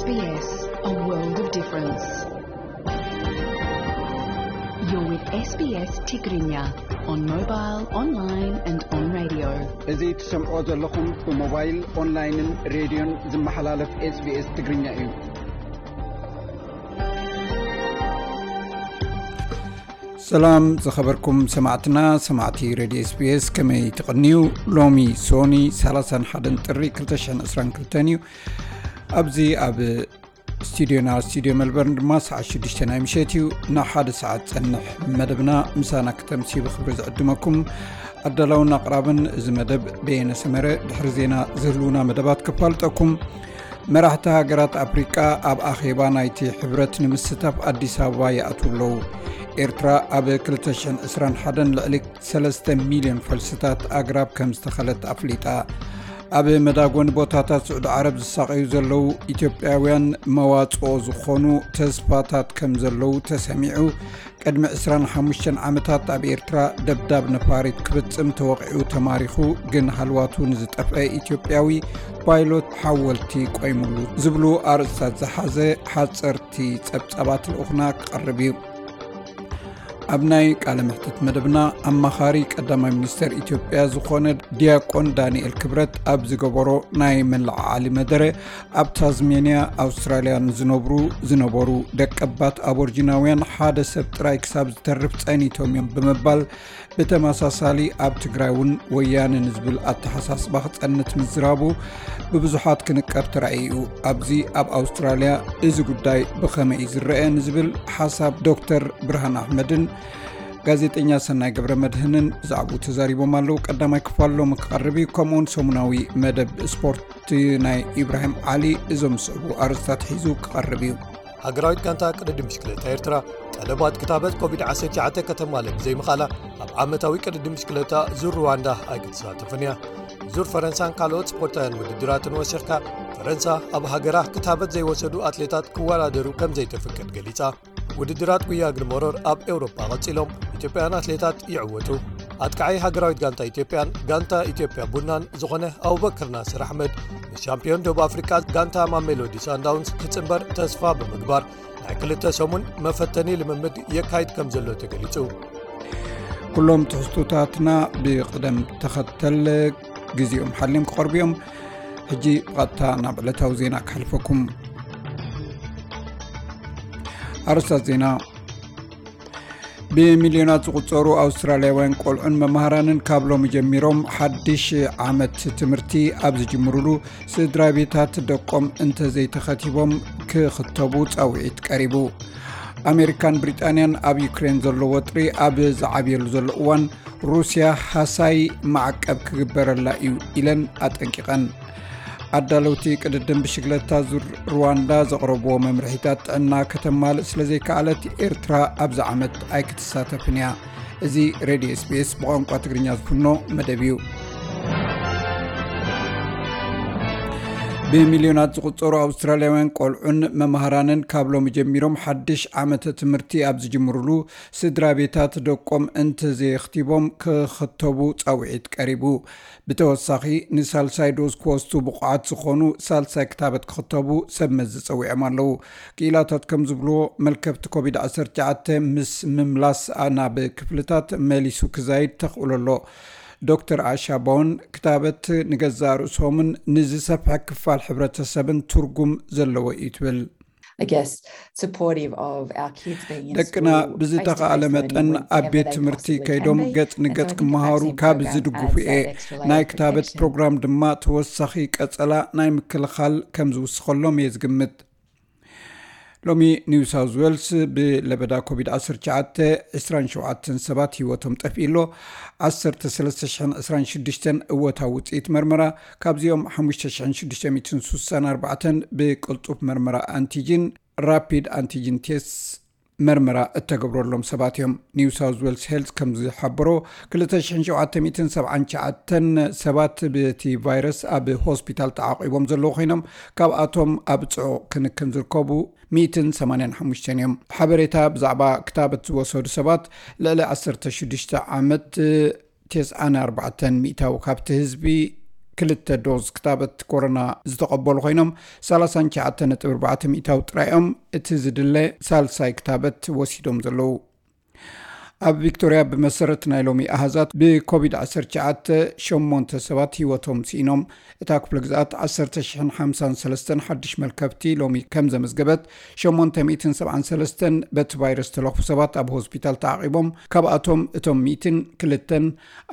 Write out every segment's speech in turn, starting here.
S B S, a world of difference. You're with S B S Tigrinya on mobile, online and on radio. እዚ ትሰምዖ ዘለኹም ብሞባይል፣ ኦንላይንን ሬድዮን ዝመሓላለፍ S B S ትግርኛ እዩ። ሰላም ዝኸበርኩም ሰማዕትና፣ ሰማዕቲ ሬድዮ S B S፣ ከመይ ትቕንዩ? ሎሚ ሶኒ ሰላሳን ሓደን ጥሪ ክልተ ሽሕን ዕስራን ክልተን እዩ። ኣብዚ ኣብ ስቱዲዮና፣ ስቱዲዮ መልበርን ድማ ሰዓት ሽዱሽተ ናይ ምሸት እዩ። ንሓደ ሰዓት ጸንሕ መደብና ምሳና ክተምሲ ብኽብሪ ዝዕድመኩም። ኣዳላውን ኣቕራብን እዚ መደብ በየነ ሰመረ። ድሕሪ ዜና ዝህልዉና መደባት ክፋልጠኩም። መራሕቲ ሃገራት ኣፍሪቃ ኣብ ኣኼባ ናይቲ ሕብረት ንምስታፍ ኣዲስ ኣበባ ይኣትዉ ኣለዉ። ኤርትራ ኣብ ክልተ ሽሕን ዕስራን ሓደን ልዕሊ ሰለስተ ሚልዮን ፈልስታት ኣግራብ ከም ዝተኸለት ኣፍሊጣ። ኣብ መዳጎኒ ቦታታት ስዑዲ ዓረብ ዝሳቐዩ ዘለዉ ኢትዮጵያውያን መዋጽኦ ዝኾኑ ተስፋታት ከም ዘለዉ ተሰሚዑ። ቅድሚ ዕስራን ሓሙሽተን ዓመታት ኣብ ኤርትራ ደብዳብ ነፋሪት ክፍጽም ተወቒዑ ተማሪኹ፣ ግን ሃልዋቱ ንዝጠፍአ ኢትዮጵያዊ ፓይሎት ሓወልቲ ቆይሙሉ ዝብሉ ኣርእስታት ዝሓዘ ሓጸርቲ ጸብጻባት ልኡኽና ክቐርብ እዩ። ኣብ ናይ ቃለ መሕትት መደብና፣ ኣማኻሪ ቀዳማይ ሚኒስተር ኢትዮጵያ ዝኾነ ዲያቆን ዳንኤል ክብረት ኣብ ዝገበሮ ናይ መለዓዓሊ መደረ፣ ኣብ ታዝሜንያ ኣውስትራልያ ንዝነብሩ ዝነበሩ ደቀባት ኣቦርጂናውያን ሓደ ሰብ ጥራይ ክሳብ ዝተርፍ ጸኒቶም እዮም ብምባል፣ ብተመሳሳሊ ኣብ ትግራይ እውን ወያነ ንዝብል ኣተሓሳስባ ክጸንት ምዝራቡ ብብዙሓት ክንቀፍ ተራእዩ እዩ። ኣብዚ ኣብ ኣውስትራልያ እዚ ጉዳይ ብኸመይ እዩ ዝረአ ንዝብል ሓሳብ ዶክተር ብርሃን ኣሕመድን ጋዜጠኛ ሰናይ ገብረ መድህንን ብዛዕባኡ ተዛሪቦም ኣለዉ። ቀዳማይ ክፋል ሎሚ ክቐርብ እዩ። ከምኡውን ሰሙናዊ መደብ ስፖርት ናይ ኢብራሂም ዓሊ እዞም ዝስዕቡ ኣርእስታት ሒዙ ክቐርብ እዩ። ሃገራዊት ጋንታ ቅድድም ብሽክለታ ኤርትራ ጠለባት ክታበት ኮቪድ ዓሰርተ ትሽዓተ ከተማልእ ብዘይምኽኣላ፣ ኣብ ዓመታዊ ቅድድም ብሽክለታ ዙር ሩዋንዳ ኣይክትሳተፍን እያ። ዙር ፈረንሳን ካልኦት ስፖርታውያን ውድድራትን ወሲኽካ፣ ፈረንሳ ኣብ ሃገራ ክታበት ዘይወሰዱ ኣትሌታት ክወዳደሩ ከም ዘይተፍቅድ ገሊጻ። ውድድራት ጉያ እግሪ መሮር ኣብ ኤውሮጳ ቀጺሎም፣ ኢትዮጵያውያን ኣትሌታት ይዕወቱ። ኣጥቃዓይ ሃገራዊት ጋንታ ኢትዮጵያን ጋንታ ኢትዮጵያ ቡናን ዝኾነ ኣቡበክር ናስር ኣሕመድ፣ ምስ ሻምፒዮን ደቡብ ኣፍሪቃ ጋንታ ማሜሎዲ ሳንዳውንስ ክጽንበር ተስፋ ብምግባር፣ ናይ ክልተ ሰሙን መፈተኒ ልምምድ የካይድ ከም ዘሎ ተገሊጹ። ኩሎም ትሕዝቶታትና ብቕደም ተኸተል ግዜኦም ሓልዮም ክቐርቡ እዮም። ሕጂ ብቐጥታ ናብ ዕለታዊ ዜና ክሓልፈኩም። ኣርእስታት ዜና። ብሚልዮናት ዝቑጸሩ ኣውስትራልያውያን ቆልዑን መምሃራንን ካብ ሎሚ ጀሚሮም ሓድሽ ዓመት ትምህርቲ ኣብ ዝጅምሩሉ፣ ስድራ ቤታት ደቆም እንተዘይተኸቲቦም ክኽተቡ ጻውዒት ቀሪቡ። ኣሜሪካን ብሪጣንያን ኣብ ዩክሬን ዘሎ ወጥሪ ኣብ ዝዓብየሉ ዘሎ እዋን፣ ሩስያ ሃሳይ ማዕቀብ ክግበረላ እዩ ኢለን ኣጠንቂቐን። ኣዳለውቲ ቅድድም ብሽግለታ ዙር ሩዋንዳ ዘቕረብዎ መምርሒታት ጥዕና ከተማልእ ስለ ዘይከኣለት፣ ኤርትራ ኣብዚ ዓመት ኣይክትሳተፍን እያ። እዚ ሬድዮ S B S ብቋንቋ ትግርኛ ዝፍኖ መደብ እዩ። ብሚልዮናት ዝቑጸሩ ኣውስትራልያውያን ቆልዑን መምሃራንን ካብ ሎሚ ጀሚሮም ሓድሽ ዓመተ ትምህርቲ ኣብ ዝጅምሩሉ፣ ስድራ ቤታት ደቆም እንተዘየኽቲቦም ክኽተቡ ጻውዒት ቀሪቡ። ብተወሳኺ፣ ንሳልሳይ ዶዝ ክወስዱ ብቑዓት ዝኾኑ ሳልሳይ ክታበት ክኽተቡ ሰብ መዚ ጸዊዖም ኣለዉ። ክኢላታት ከም ዝብልዎ፣ መልከፍቲ ኮቪድ ዓሰርተ ትሽዓተ ምስ ምምላስ ናብ ክፍልታት መሊሱ ክዛይድ ተኽእሎ ኣሎ። ዶክተር ኣሻ ቦን፣ ክታበት ንገዛእ ርእሶምን ንዝሰፍሐ ክፋል ሕብረተሰብን ትርጉም ዘለዎ እዩ ትብል። I guess, supportive of our kids being in ደቅና school, ብዝተኻእለ face-to-face መጠን learning ኣብ ቤት whenever they ትምህርቲ possibly ከይዶም can be. ገጽ And ንገጽ so I think the ክመሃሩ vaccine ካብ program ዝድግፉ adds እየ። that extra layer of ናይ ክታበት protection. ፕሮግራም ድማ ተወሳኺ ቀጸላ ናይ ምክልኻል ከም ዝውስኸሎም እየ ዝግምት። ሎሚ ኒው ሳውዝ ዌልስ ብለበዳ ኮቪድ ዓሰርተ ትሽዓተ ዕስራን ሸውዓተን ሰባት ህይወቶም ጠፊኡ ኣሎ። ዓሰርተ ሰለስተ ሽሕን ዕስራን ሽዱሽተን እወታዊ ውጽኢት መርመራ፣ ካብዚኦም ሓሙሽተ ሽሕን ሽዱሽተ ሚእትን ስሳን ኣርባዕተን ብቅልጡፍ መርመራ ኣንቲጂን፣ ራፒድ ኣንቲጂን ቴስት፣ መርመራ እተገብረሎም ሰባት እዮም። ኒው ሳውዝ ዌልስ ሄልዝ ከም ዝሓበሮ፣ ክልተ ሽሕን ሸውዓተ ሚእትን ሰብዓን ትሽዓተን ሰባት ብቲ ቫይረስ ኣብ ሆስፒታል ተዓቒቦም ዘለዉ ኮይኖም፣ ካብኣቶም ኣብ ጽዑቕ ክንክን ዝርከቡ ሚእትን ሰማንያን ሓሙሽተን እዮም። ሓበሬታ ብዛዕባ ክታበት ዝወሰዱ ሰባት፣ ልዕሊ ዓሰርተ ሽዱሽተ ዓመት፣ ተስዓን ኣርባዕተን ሚእታዊ ካብቲ ህዝቢ ክልተ ዶዝ ክታበት ኮሮና ዝተቐበሉ ኮይኖም፣ ሰላሳን ትሽዓተን ነጥቢ ኣርባዕተ ሚእታዊ ጥራይ እዮም እቲ ዝድለ ሳልሳይ ክታበት ወሲዶም ዘለዉ። ኣብ ቪክቶርያ፣ ብመሰረት ናይ ሎሚ ኣሃዛት፣ ብኮቪድ ዓሰርተ ትሽዓተ ሸሞንተ ሰባት ህይወቶም ስኢኖም። እታ ክፍለ ግዝኣት ዓሰርተ ሽሕን ሓምሳን ሰለስተን ሓድሽ መልከፍቲ ሎሚ ከም ዘመዝገበት፣ ሸሞንተ ሚእትን ሰብዓን ሰለስተን በቲ ቫይረስ ተለኽፉ ሰባት ኣብ ሆስፒታል ተዓቒቦም፣ ካብኣቶም እቶም ሚእትን ክልተን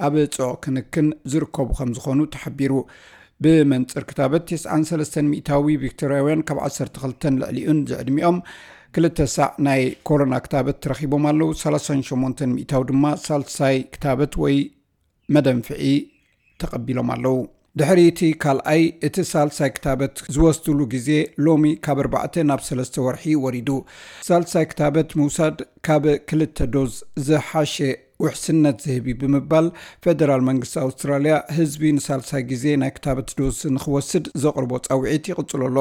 ኣብ ጽዑቕ ክንክን ዝርከቡ ከም ዝኾኑ ተሓቢሩ። ብመንጽር ክታበት፣ ተስዓን ሰለስተን ሚእታዊ ቪክቶርያውያን ካብ ዓሰርተ ክልተን ልዕሊኡን ዝዕድሚኦም ክልተ ሳዕ ናይ ኮሮና ክታበት ረኺቦም ኣለዉ። ሰላሳን ሸሞንተን ሚእታዊ ድማ ሳልሳይ ክታበት ወይ መደንፍዒ ተቐቢሎም ኣለዉ። ድሕሪ እቲ ካልኣይ፣ እቲ ሳልሳይ ክታበት ዝወስድሉ ግዜ ሎሚ ካብ ኣርባዕተ ናብ ሰለስተ ወርሒ ወሪዱ። ሳልሳይ ክታበት ምውሳድ ካብ ክልተ ዶዝ ዝሓሸ ውሕስነት ዝህብ እዩ ብምባል፣ ፌደራል መንግስቲ ኣውስትራልያ ህዝቢ ንሳልሳይ ግዜ ናይ ክታበት ዶዝ ንክወስድ ዘቕርቦ ጻውዒት ይቕጽሎ ኣሎ።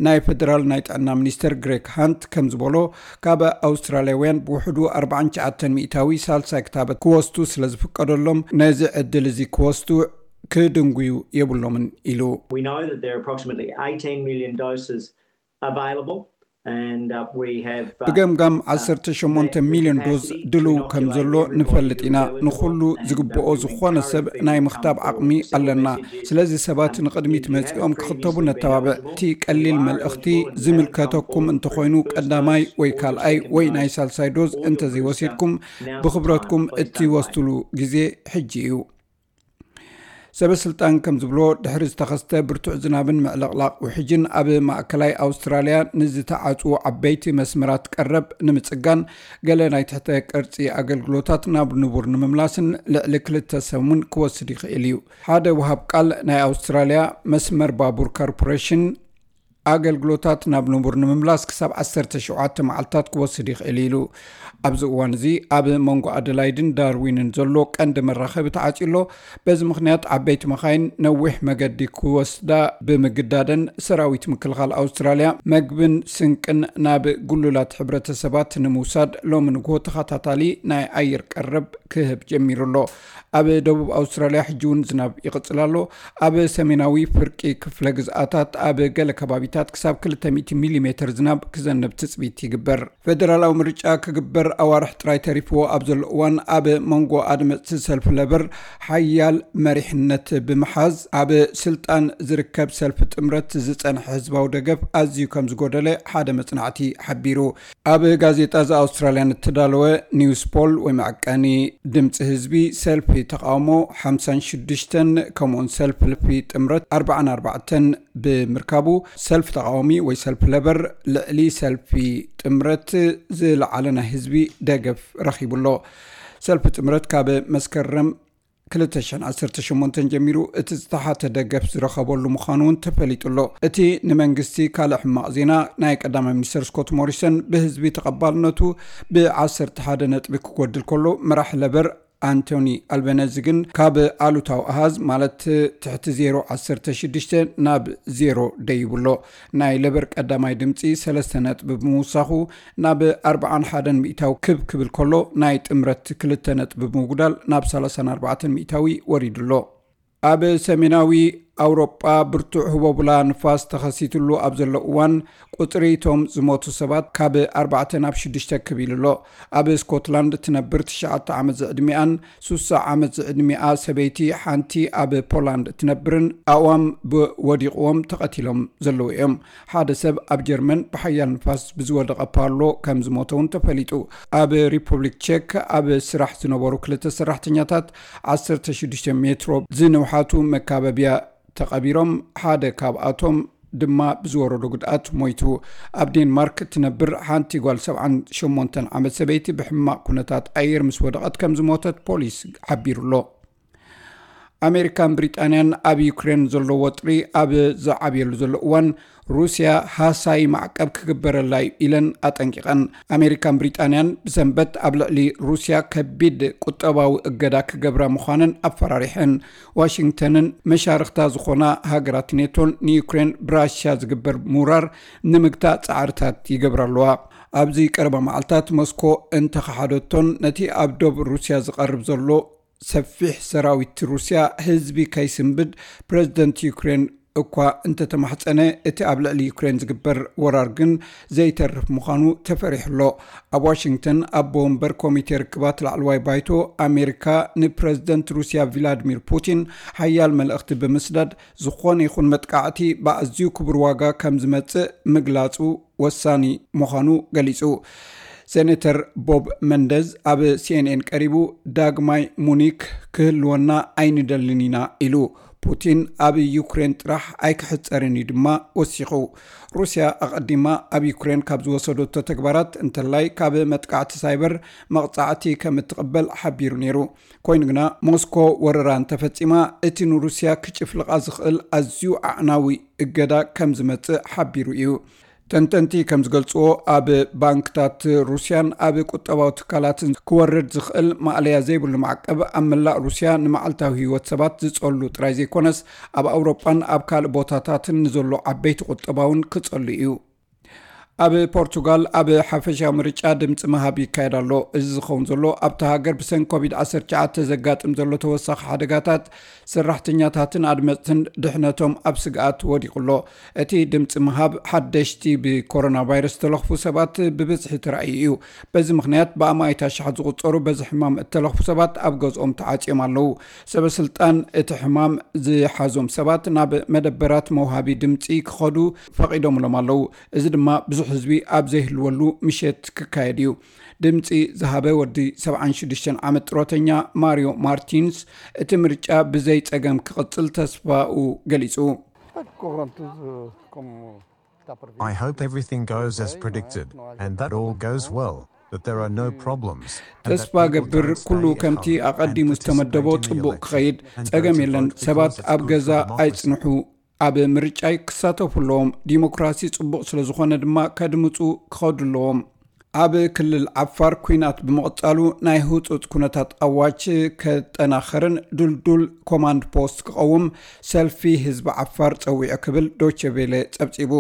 ናይ ፌደራል ናይ ጥዕና ሚኒስተር ግሬግ ሃንት ከም ዝበሎ፣ ካብ ኣውስትራልያውያን ብውሕዱ ኣርባዓን ትሽዓተን ሚእታዊ ሳልሳይ ክታበት ክወስዱ ስለ ዝፍቀደሎም፣ ነዚ ዕድል እዚ ክወስዱ ክድንጉዩ የብሎምን ኢሉ። We know that there are approximately eighteen million doses available, and, uh, we have, uh, ብገምጋም uh, ዓሰርተ ሸሞንተ ሚልዮን ዶዝ capacity ድሉው ከም ዘሎ ንፈልጥ ኢና። ንኹሉ ዝግብኦ ዝኾነ ሰብ ናይ ምኽታብ ዓቕሚ ኣለና። ስለዚ ሰባት ንቕድሚት መጺኦም ክኽተቡ ነተባብዕ። እቲ ቀሊል መልእኽቲ ዝምልከተኩም እንተኾይኑ፣ ቀዳማይ ወይ ካልኣይ ወይ ናይ ሳልሳይ ዶዝ እንተዘይወሲድኩም፣ ብኽብረትኩም እትወስድሉ ግዜ ሕጂ እዩ። ሰበ ስልጣን ከም ዝብሎ፣ ድሕሪ ዝተኸስተ ብርቱዕ ዝናብን ምዕልቕላቕ ውሕጅን ኣብ ማእከላይ ኣውስትራልያ ንዝተዓጽዉ ዓበይቲ መስመራት ቀረብ ንምጽጋን፣ ገለ ናይ ትሕተ ቅርጺ ኣገልግሎታት ናብ ንቡር ንምምላስን ልዕሊ ክልተ ሰሙን ክወስድ ይኽእል እዩ። ሓደ ወሃብ ቃል ናይ ኣውስትራልያ መስመር ባቡር ኮርፖሬሽን፣ ኣገልግሎታት ናብ ንቡር ንምምላስ ክሳብ ዓሰርተ ሸውዓተ መዓልታት ክወስድ ይኽእል ኢሉ። ኣብዚ እዋን እዚ ኣብ መንጎ ኣደላይድን ዳርዊንን ዘሎ ቀንዲ መራኸቢ ተዓጽዩ ኣሎ። በዚ ምኽንያት ዓበይቲ መኻይን ነዊሕ መገዲ ክወስዳ ብምግዳደን፣ ሰራዊት ምክልኻል ኣውስትራልያ መግብን ስንቅን ናብ ግሉላት ሕብረተሰባት ንምውሳድ ሎሚ ንግሆ ተኸታታሊ ናይ ኣየር ቀረብ ክህብ ጀሚሩ ኣሎ። ኣብ ደቡብ ኣውስትራልያ ሕጂ እውን ዝናብ ይቕጽል ኣሎ። ኣብ ሰሜናዊ ፍርቂ ክፍለ ግዝኣታት ኣብ ገለ ከባቢታት ክሳብ ክልተ ሚእቲ ሚሊሜተር ዝናብ ክዘንብ ትጽቢት ይግበር። ፌደራላዊ ምርጫ ክግበር ኣዋርሕ ጥራይ ተሪፍዎ ኣብ ዘሎ እዋን፣ ኣብ መንጎ ኣድመጽቲ ሰልፊ ለበር ሓያል መሪሕነት ብምሓዝ፣ ኣብ ስልጣን ዝርከብ ሰልፊ ጥምረት ዝጸንሐ ህዝባዊ ደገፍ ኣዝዩ ከም ዝጎደለ ሓደ መጽናዕቲ ሓቢሩ። ኣብ ጋዜጣ ዘ ኣውስትራልያን እተዳለወ ኒውስ ፖል ወይ መዐቀኒ ድምፂ ህዝቢ፣ ሰልፊ ተቃውሞ ሓምሳን ሽዱሽተን፣ ከምኡውን ሰልፊ ጥምረት ኣርባዓን ኣርባዕተን ብምርካቡ፣ ሰልፊ ተቃዋሚ ወይ ሰልፊ ለበር ልዕሊ ሰልፊ ጥምረት ዝለዓለ ናይ ህዝቢ ደገፍ ረኺቡ ኣሎ። ሰልፊ ጥምረት ካብ መስከረም ክልተ ሽሕን ዓሰርተ ሸሞንተን ጀሚሩ እቲ ዝተሓተ ደገፍ ዝረኸበሉ ምዃኑ እውን ተፈሊጡ ኣሎ። እቲ ንመንግስቲ ካልእ ሕማቕ ዜና፣ ናይ ቀዳማይ ሚኒስተር ስኮት ሞሪሰን ብህዝቢ ተቐባልነቱ ብዓሰርተ ሓደ ነጥቢ ክጎድል ከሎ፣ መራሕ ለበር ኣንቶኒ ኣልበነዚ ግን ካብ ኣሉታዊ ኣሃዝ፣ ማለት ትሕቲ ዜሮ ዓሰርተ ሽዱሽተ ናብ ዜሮ ደይቡ ኣሎ። ናይ ለበር ቀዳማይ ድምፂ ሰለስተ ነጥቢ ብምውሳኹ ናብ ኣርባዓን ሓደን ሚእታዊ ክብ ክብል ከሎ፣ ናይ ጥምረት ክልተ ነጥቢ ብምጉዳል ናብ ሰላሳን ኣርባዕተን ሚእታዊ ወሪዱ ኣሎ። ኣብ ሰሜናዊ ኣውሮጳ ብርቱዕ ህቦብላ ንፋስ ተኸሲትሉ ኣብ ዘሎ እዋን፣ ቁጽሪ እቶም ዝሞቱ ሰባት ካብ ኣርባዕተ ናብ ሽዱሽተ ክብ ኢሉ ኣሎ። ኣብ ስኮትላንድ ትነብር ትሽዓተ ዓመት ዝዕድሚኣን ሱሳ ዓመት ዝዕድሚኣ ሰበይቲ፣ ሓንቲ ኣብ ፖላንድ እትነብርን ኣእዋም ብወዲቕዎም ተቐቲሎም ዘለዉ እዮም። ሓደ ሰብ ኣብ ጀርመን ብሓያል ንፋስ ብዝወደቐ ፓሎ ከም ዝሞተ እውን ተፈሊጡ። ኣብ ሪፑብሊክ ቼክ ኣብ ስራሕ ዝነበሩ ክልተ ሰራሕተኛታት ዓሰርተ ሽዱሽተ ሜትሮ ዝንውሓቱ መካበብያ ተቐቢሮም፣ ሓደ ካብኣቶም ድማ ብዝወረዶ ጉድኣት ሞይቱ። ኣብ ዴንማርክ እትነብር ሓንቲ ጓል ሰብዓን ሸሞንተን ዓመት ሰበይቲ ብሕማቕ ኩነታት ኣየር ምስ ወደቐት ከም ዝሞተት ፖሊስ ሓቢሩ ኣሎ። ኣሜሪካን ብሪጣንያን ኣብ ዩክሬን ዘሎ ወጥሪ ኣብ ዝዓብየሉ ዘሎ እዋን፣ ሩስያ ሃሳዪ ማዕቀብ ክግበረላ እዩ ኢለን ኣጠንቂቐን። ኣሜሪካን ብሪጣንያን ብሰንበት ኣብ ልዕሊ ሩስያ ከቢድ ቁጠባዊ እገዳ ክገብራ ምዃነን ኣፈራሪሐን። ዋሽንግተንን መሻርኽታ ዝኾና ሃገራት ኔቶን ንዩክሬን ብራሽያ ዝግበር ምውራር ንምግታእ ጻዕርታት ይገብራ ኣለዋ። ኣብዚ ቀረባ መዓልታት ሞስኮ እንተኸሓደቶን ነቲ ኣብ ዶብ ሩስያ ዝቐርብ ዘሎ ሰፊሕ ሰራዊት ሩስያ ህዝቢ ከይስንብድ ፕረዚደንት ዩክሬን እኳ እንተተማሕጸነ፣ እቲ ኣብ ልዕሊ ዩክሬን ዝግበር ወራር ግን ዘይተርፍ ምዃኑ ተፈሪሑ ኣሎ። ኣብ ዋሽንግተን ኣቦ ወንበር ኮሚቴ ርክባት ላዕለዋይ ባይቶ ኣሜሪካ ንፕረዚደንት ሩስያ ቪላድሚር ፑቲን ሓያል መልእኽቲ ብምስዳድ፣ ዝኾነ ይኹን መጥቃዕቲ ብኣዝዩ ክቡር ዋጋ ከም ዝመጽእ ምግላጹ ወሳኒ ምዃኑ ገሊጹ። ሴኔተር ቦብ መንደዝ ኣብ ሲኤንኤን ቀሪቡ፣ ዳግማይ ሙኒክ ክህልወና ኣይንደልን ኢና ኢሉ። ፑቲን ኣብ ዩክሬን ጥራሕ ኣይክሕጸርን እዩ ድማ ወሲኹ። ሩስያ ኣቐዲማ ኣብ ዩክሬን ካብ ዝወሰደቶ ተግባራት እንተላይ ካብ መጥቃዕቲ ሳይበር መቕጻዕቲ ከም እትቕበል ሓቢሩ ነይሩ። ኮይኑ ግና ሞስኮ ወረራ እንተፈጺማ እቲ ንሩስያ ክጭፍልቓ ዝኽእል ኣዝዩ ኣዕናዊ እገዳ ከም ዝመጽእ ሓቢሩ እዩ። ተንተንቲ ከም ዝገልጽዎ፣ ኣብ ባንክታት ሩስያን ኣብ ቁጠባዊ ትካላትን ክወርድ ዝኽእል ማእለያ ዘይብሉ ማዕቀብ ኣብ መላእ ሩስያ ንመዓልታዊ ህይወት ሰባት ዝጸሉ ጥራይ ዘይኮነስ፣ ኣብ ኣውሮጳን ኣብ ካልእ ቦታታትን ንዘሎ ዓበይቲ ቁጠባ እውን ክጸሉ እዩ። ኣብ ፖርቱጋል ኣብ ሓፈሻዊ ምርጫ ድምፂ ምሃብ ይካየድ ኣሎ። እዚ ዝኸውን ዘሎ ኣብታ ሃገር ብሰንኪ ኮቪድ ዓሰርተ ትሽዓተ ዘጋጥም ዘሎ ተወሳኺ ሓደጋታት ሰራሕተኛታትን ኣድመፅትን ድሕነቶም ኣብ ስግኣት ወዲቑ ኣሎ። እቲ ድምፂ ምሃብ ሓደሽቲ ብኮሮና ቫይረስ ዝተለኽፉ ሰባት ብብዝሒ ተራእዩ እዩ። በዚ ምኽንያት ብኣማኢት ኣሽሓት ዝቑጸሩ በዚ ሕማም እተለኽፉ ሰባት ኣብ ገዝኦም ተዓጽዮም ኣለዉ። ሰበ ስልጣን እቲ ሕማም ዝሓዞም ሰባት ናብ መደበራት መውሃቢ ድምፂ ክኸዱ ፈቒዶምሎም ኣለዉ። እዚ ድማ ብዙሕ ህዝቢ ኣብ ዘይህልወሉ ምሸት ክካየድ እዩ። ድምፂ ዝሃበ ወዲ ሰብዓን ሽዱሽተን ዓመት ጥሮተኛ ማሪዮ ማርቲንስ፣ እቲ ምርጫ ብዘይ ጸገም ክቕጽል ተስፋኡ ገሊጹ። I hope everything goes as predicted and that all goes well, that there are no problems. And that ተስፋ ገብር ኩሉ ከምቲ ኣቐዲሙ ዝተመደቦ ጽቡቕ ክኸይድ፣ ጸገም የለን። ሰባት ኣብ ገዛ ኣይጽንሑ፣ ኣብ ምርጫ ክሳተፉ ኣለዎም። ዲሞክራሲ ጽቡቕ ስለ ዝኾነ ድማ ከድምጹ ክኸዱ ኣለዎም። ኣብ ክልል ዓፋር ኲናት ብምቕጻሉ ናይ ህጹጽ ኩነታት ኣዋጅ ከጠናኸርን ድልዱል ኮማንድ ፖስት ክቐውም ሰልፊ ህዝቢ ዓፋር ጸዊዑ ክብል ዶቼ ቬለ ጸብጺቡ።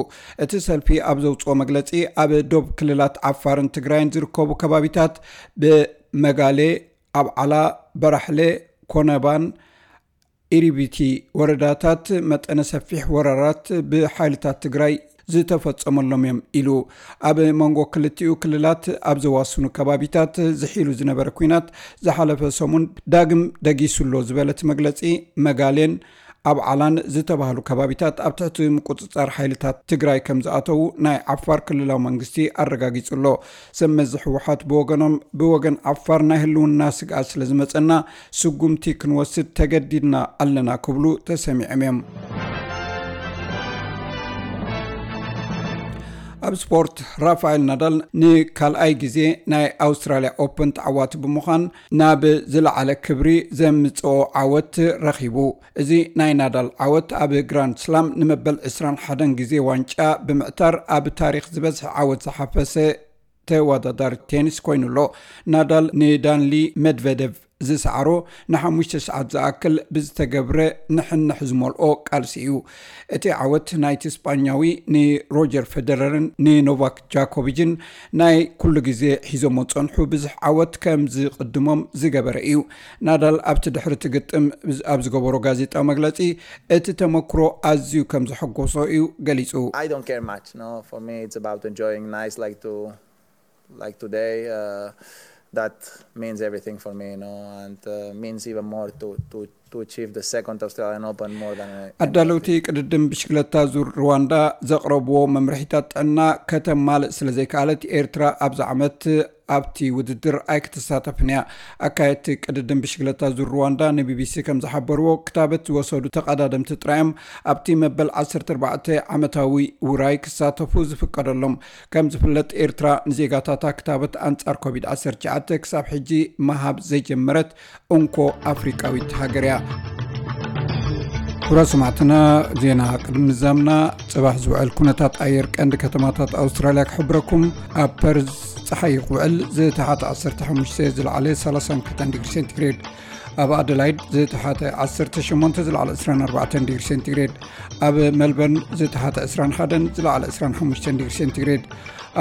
እቲ ሰልፊ ኣብ ዘውጽኦ መግለጺ፣ ኣብ ዶብ ክልላት ዓፋርን ትግራይን ዝርከቡ ከባቢታት ብመጋሌ፣ ኣብዓላ፣ በራሕለ፣ ኮነባን ኢሪቢቲ ወረዳታት መጠነ ሰፊሕ ወራራት ብሓይልታት ትግራይ ዝተፈጸመሎም እዮም ኢሉ። ኣብ መንጎ ክልቲኡ ክልላት ኣብ ዘዋስኑ ከባቢታት ዝሒሉ ዝነበረ ኲናት ዝሓለፈ ሰሙን ዳግም ደጊሱ ኣሎ ዝበለ እቲ መግለጺ፣ መጋሌን ኣብዓላን ዝተባህሉ ከባቢታት ኣብ ትሕቲ ምቁጽጻር ሓይልታት ትግራይ ከም ዝኣተዉ ናይ ዓፋር ክልላዊ መንግስቲ ኣረጋጊጹ ኣሎ። ሰብ መዚ ህወሓት ብወገኖም፣ ብወገን ዓፋር ናይ ህልውና ስግኣት ስለ ዝመጸና ስጉምቲ ክንወስድ ተገዲድና ኣለና ክብሉ ተሰሚዖም እዮም። ኣብ ስፖርት፣ ራፋኤል ናዳል ንካልኣይ ግዜ ናይ ኣውስትራልያ ኦፕን ተዓዋቲ ብምዃን ናብ ዝለዓለ ክብሪ ዘምጽኦ ዓወት ረኺቡ። እዚ ናይ ናዳል ዓወት ኣብ ግራንድ ስላም ንመበል ዕስራን ሓደን ግዜ ዋንጫ ብምዕታር ኣብ ታሪኽ ዝበዝሐ ዓወት ዝሓፈሰ ተወዳዳሪ ቴኒስ ኮይኑ ኣሎ። ናዳል ንዳንሊ መድቨደቭ ዝሰዓሮ ንሓሙሽተ ሰዓት ዝኣክል ብዝተገብረ ንሕንሕ ዝመልኦ ቃልሲ እዩ። እቲ ዓወት ናይቲ ስጳኛዊ ንሮጀር ፌደረርን ንኖቫክ ጃኮቪችን ናይ ኩሉ ግዜ ሒዞሞ ዝጸንሑ ብዙሕ ዓወት ከም ዝቕድሞም ዝገበረ እዩ። ናዳል ኣብቲ ድሕሪ እቲ ግጥም ኣብ ዝገበሮ ጋዜጣዊ መግለጺ፣ እቲ ተመክሮ ኣዝዩ ከም ዘሐጎሶ እዩ ገሊጹ። I don't care much. No, for me it's about enjoying nights like to, like today. Uh, that means everything for me, you know, and uh, means even more to to to achieve the second Australian Open more than. ኣዳለውቲ ቅድድም ብሽክለታ ዙር ሩዋንዳ ዘቕረብዎ መምርሒታት ጥዕና ከተማልእ ስለ ዘይከኣለት፣ ኤርትራ ኣብዚ ዓመት ኣብቲ ውድድር ኣይክትሳተፍን እያ። ኣካየድቲ ቅድድም ብሽክለታ ዙር ሩዋንዳ ንቢቢሲ ከም ዝሓበርዎ፣ ክታበት ዝወሰዱ ተቐዳደምቲ ጥራዮም ኣብቲ መበል ዓሰርተ ኣርባዕተ ዓመታዊ ውራይ ክሳተፉ ዝፍቀደሎም። ከም ዝፍለጥ፣ ኤርትራ ንዜጋታታ ክታበት ኣንጻር ኮቪድ ዓሰርተ ትሽዓተ ክሳብ ሕጂ ምሃብ ዘይጀመረት እንኮ ኣፍሪቃዊት ሃገር እያ። ክቡራት ሰማዕትና፣ ዜና ቅድሚ ምዛምና፣ ጽባሕ ዝውዕል ኩነታት ኣየር ቀንዲ ከተማታት ኣውስትራልያ ክሕብረኩም። ኣብ ፐርዝ ጸሓይ ክውዕል፣ ዝተሓተ ዓሰርተ ሓሙሽተ፣ ዝለዓለ ሰላሳን ክልተን ዲግሪ ሴንቲግሬድ። ኣብ ኣደላይድ ዝተሓተ ዓሰርተ ሸሞንተ ዝለዓለ ዕስራን ኣርባዕተን ዲግሪ ሴንቲግሬድ፣ ኣብ ሜልበርን ዝተሓተ ዕስራን ሓደን ዝለዓለ ዕስራን ሓሙሽተን ዲግሪ ሴንቲግሬድ፣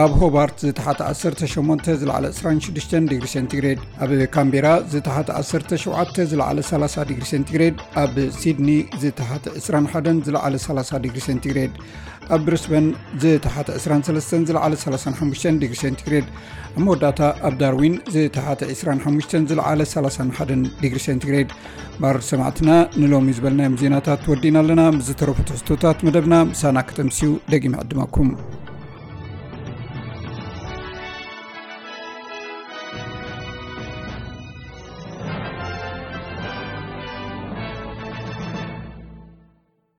ኣብ ሆባርት ዝተሓተ ዓሰርተ ሸሞንተ ዝለዓለ ዕስራን ሽዱሽተን ዲግሪ ሴንቲግሬድ፣ ኣብ ካምቤራ ዝተሓተ ዓሰርተ ሸውዓተ ዝለዓለ ሰላሳ ዲግሪ ሴንቲግሬድ፣ ኣብ ሲድኒ ዝተሓተ ዕስራን ሓደን ዝለዓለ ሰላሳ ዲግሪ ሴንቲግሬድ፣ ኣብ ብሪስበን ዝተሓተ ዕስራን ሰለስተን ዝለዓለ ሰላሳን ሓሙሽተን ዲግሪ ሴንቲግሬድ፣ ኣብ መወዳእታ ኣብ ዳርዊን ዝተሓተ ዕስራን ሓሙሽተን ዝለዓለ ሰላሳን ሓደን ዲግሪ ሴንቲግሬድ። ባር ሰማዕትና፣ ንሎሚ ዝበልናዮም ዜናታት ወዲና ኣለና። ምስ ዝተረፉ ትሕዝቶታት መደብና ምሳና ከተምስዩ ደጊመ ዕድመኩም።